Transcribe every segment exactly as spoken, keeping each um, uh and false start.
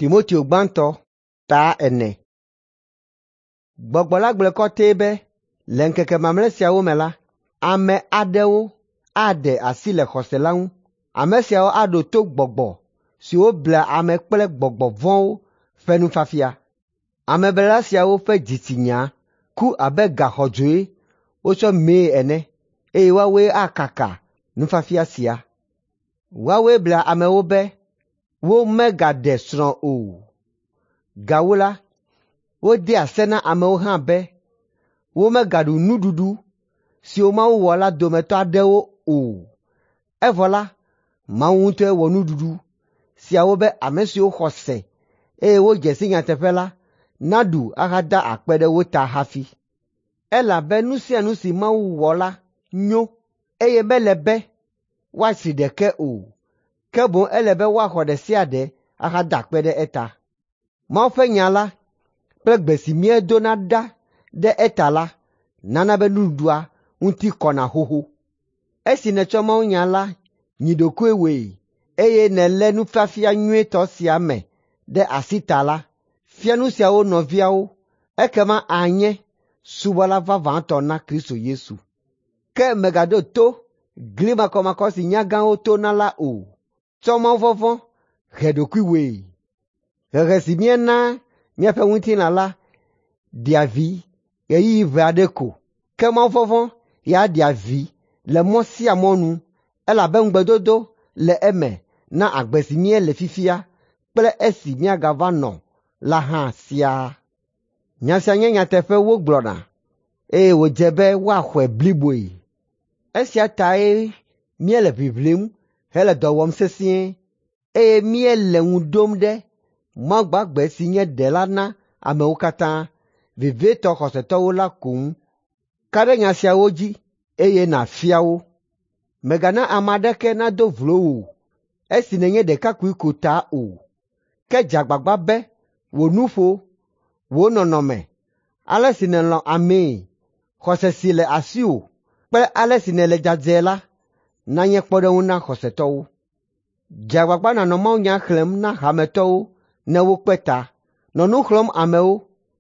Timoteo gbãtɔ ta ene. Gbɔgbɔ la gblɔe kɔtɛe be le ŋkeke mamlɛ siawo me la, ame aɖewo aɖe asi le xɔse la ŋu. Ame siawo aɖo to gbɔgbɔ siwo blea ame kple gbɔgbɔ vɔ̃wo ƒe nufiafia. Ameblela siawo ƒe dzitsinya ku abe ga xɔdzoe wotsɔ mee ene eye woawoe akaka nufiafia sia. Woawoe blea amewo be womegaɖe srɔ̃ o. Gawu la, wodea se na amewo hã be womegaɖu nuɖuɖu siwo Mawu wɔ la dometɔ aɖewo o. Evɔ la, Mawu ŋutɔe wɔ nuɖuɖu siawo be ame siwo xɔ se eye wodze si nyateƒe la naɖu ahada akpe ɖe wo ta hafi. Elabe nu sia nu si Mawu wɔ la nyo eye mele be woatsri ɖeke o, ke boŋ ele be woaxɔ ɖe sia ɖe ahada akpe ɖe eta. Mawu ƒe nya la kple gbe si míedona ɖa ɖe eta la nana be nuɖuɖua ŋuti kɔna xoxo. Esi nètsɔ mawunya la nyi ɖokuiwòe eye nèlé nufiafia nyuitɔ sia me ɖe asi ta la, fia nu siawo nɔviawo ekema ànye subɔla vavãtɔ na Kristo Yesu. Ke mègaɖo to gli makɔmakɔ si nyagãwo tona la o. Tsɔ mawuvɔvɔ̃ he ɖokuiwòe. Hehe si míenaa míaƒe ŋutilã la ɖea vi ɣeyiɣi ʋɛ aɖe ko, ke mawuvɔvɔ̃ ya ɖea vi le mɔ sia mɔ nu elabe ŋugbedodo le eme na agbe si míele fifia kple esi míagava nɔ la hã siaa. Nya sia nye nyateƒe wogblɔna eye wòdze be woaxɔe bliboe. Esia tae míele ʋiʋlim hele dɔ wɔm sesĩe eye míele ŋu ɖom ɖe Mawu gbagbe si nye Ɖela na amewo katã, vevietɔ xɔsetɔwo la ko ŋu. Ka ɖe nya siawo dzi eye nàfia wo. Mègana ame aɖeke nado vlo wò esi nènye ɖekakpui ko ta o, ke dze agbagba be wò nuƒo, wò nɔnɔme, ale si nèlɔ̃ amee, xɔse si le asiwò kple ale si nèle dzadzɛ la nanye kpɔɖeŋu na xɔsetɔwo. Dze agbagba nànɔ mawunya xlẽm na hametɔwo ne wokpe ta. Nɔ nu xlɔ̃m amewo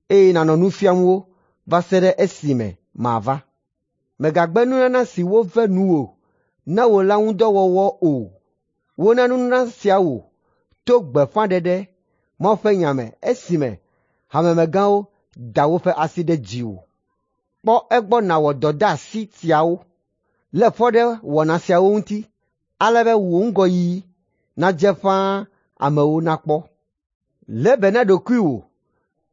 eye nànɔ nu fiam wo va se ɖe esime mava. Mègagbe nunana si wove nuwò na wò la ŋu dɔ wɔwɔ o. Wona nunana sia wò to gbeƒãɖeɖe Mawu ƒe nya me esime hamemegãwo da woƒe asi ɖe dziwò. Kpɔ egbɔ nàwɔ dɔdeasi siawo. Lé fɔ ɖe wɔna siawo ŋuti ale be wò ŋgɔyiyi nadze ƒãa amewo nakpɔ. Lé be na ɖokuiwò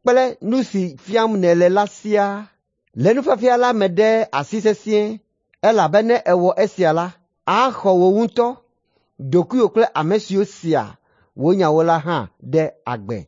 kple nu si fiam nèle la siaa. Lé nufiafia la me ɖe asi sesĩe elabe ne èwɔ esia la, axɔ wò ŋutɔ ɖokuiwò kple ame siwo sea wò nyawo la hã ɖe agbe.